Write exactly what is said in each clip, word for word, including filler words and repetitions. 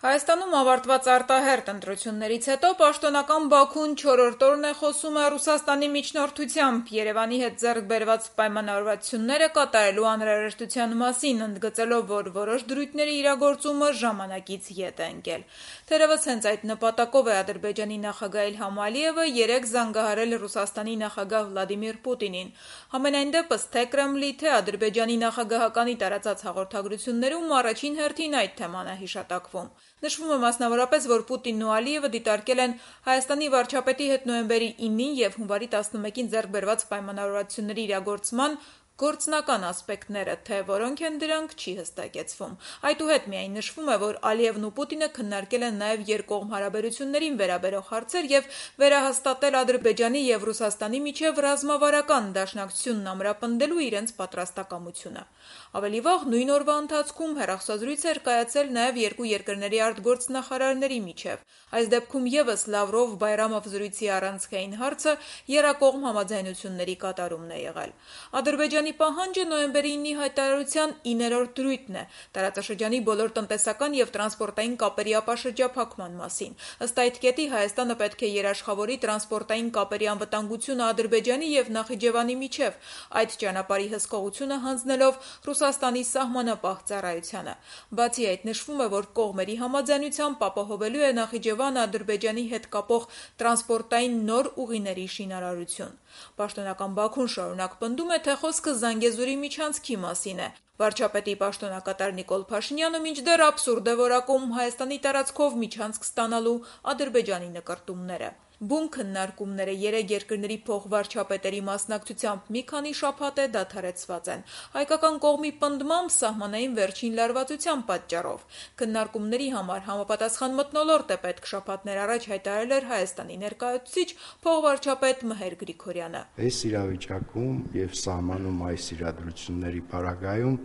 Հայաստանում ավարտված արտահերթ ընտրություններից հետո պաշտոնական Բաքուն չորրորդ օրն է խոսում է Ռուսաստանի միջնորդությամբ Երևանի հետ ձեռք բերված պայմանավորվածությունները կատարելու անհրաժեշտության մասին, ընդգծելով, որ որոշ դրույթների իրագործումը ժամանակից ետ է ընկել։ Թերևս հենց այդ նպատակով է Ադրբեջանի նախագահ Իլհամ Ալիևը երեկ զանգահարել Ռուսաստանի նախագահ Վլադիմիր Պուտինին։ Համենայն դեպս, թե Կրեմլի, թե Ադրբեջանի նախագահականի տարածած հաղորդագրություններում առաջին հերթին այդ թեման է հիշատակվում։ Նշվում է մասնավորապես, որ Պուտինն ու Ալիևը դիտարկել են Հայաստանի վարչապետի հետ նոյեմբերի ինին և հունվարի տասնմեկին ձեռք բերված պայմանավորվածությունների իրագործման գործնական ասպեկտները, թե որոնք են դրանք, չի հստակեցվում։ Այդուհետ միայն նշվում է, որ Ալիևն ու Պուտինը քննարկել են նաև երկկողմ հարաբերություններին վերաբերող հարցեր և վերահաստատել Ադրբեջանի և Ռուսաստանի միջև ռազմավարական դաշնակցությունն ամրապնդելու իրենց պատրաստակամությունը։ Ավելի վաղ, նույն օրվա ընթացքում հեռախոսազրույց էր կայացել նաև երկու երկրների արտգործնախարարների միջև։ Այս դեպքում ևս Լավրով-Բայրամով զրույցի առանցքային հարցը եռակողմ համաձայնությունների կատարումն է եղել։ Ադրբեջանի պահանջը նոյեմբերի ինի հայտարարության իններորդ դրույթն է տարածաշրջանի բոլոր տնտեսական և տրանսպորտային կապերի ապաշրջափակման մասին։ Ըստ այդ կետի Հայաստանը պետք է երաշխավորի տրանսպորտային կապերի անվտանգությունը Ադրբեջանի և Նախիջևանի միջև, այդ ճանապարհի հսկողությունը հանձնելով Ռուսաստանի սահմանապահ ծառայությանը։ Բացի այդ, նշվում է, որ կողմերի համաձայնությամբ ապահովելու է Նախիջևանը Ադրբեջանի հետ կապող տրանսպորտային նոր ուղիների շինարարություն։ Պաշտոնական Բաքուն շարունակ պնդում է, թե խոսքը Զանգեզուրի միջանցքի մասին է։ Վարչապետի պաշտոնակատար Նիկոլ Փաշինյանը մինչդեռ աբսուրդ է որակում Հայաստանի տարածքով միջանցք ստանալու Ադրբեջանի նկրտումները։ Բուն քննարկումները երեք երկրների փոխվարչապետերի մասնակցությամբ մի քանի շաբաթ է դադարեցված են։ Հայկական կողմի պնդմամբ սահմանային վերջին լարվածության պատճառով։ Քննարկումների համար համապատասխան մթնոլորտ է պետք շաբաթներ առաջ հայտարարել էր Հայաստանի ներկայացուցիչ փոխվարչապետ Մհեր Գրիգորյանը։ Այս իրավիճակում եւ սահմանում այս իրադրությունների պարագայում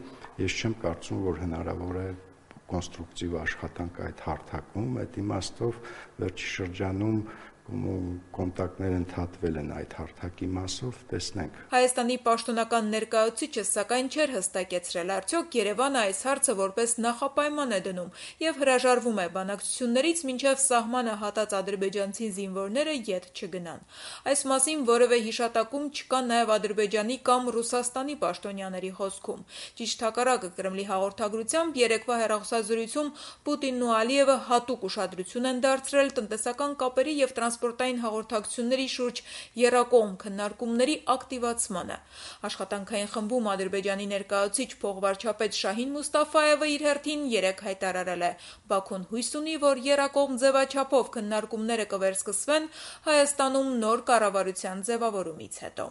ես չեմ կարծում, որ հնարավոր է կոնստրուկտիվ աշխատանք այդ հարթակում, այդ իմաստով վերջի շրջանում կոնտակտներ ընդհատվել են այդ հարթակի մասով, տեսնենք։ Հայաստանի պաշտոնական ներկայացուցիչը սակայն չէր հստակեցրել, արդյոք Երևանը այս հարցը որպես նախապայման է դնում եւ հրաժարվում է բանակցություններից, մինչեւ սահմանը հատած ադրբեջանցի զինվորները ետ չգնան։ Այս մասին որևէ հիշատակում չկա նաեւ Ադրբեջանի կամ Ռուսաստանի պաշտոնյաների խոսքում։ Ճիշտ հակառակը, Կրեմլի հաղորդագրությամբ երեկվա հեռախոսազրույցում Պուտինն ու Ալիևը հատուկ ուշադրություն են դարձրել տնտեսական կապերի եւ տրանսպորտային հաղորդակցությունների շուրջ եռակողմ քննարկումների ակտիվացմանը։ Աշխատանքային խմբում Ադրբեջանի ներկայացուցիչ փոխվարչապետ Շահին Մուստաֆայևը իր հերթին երեկ հայտարարել է. Բաքուն հույս ունի, որ եռակողմ ձևաչափով քննարկումները կվերսկսվեն Հայաստանում նոր կառավարության ձևավորումից հետո։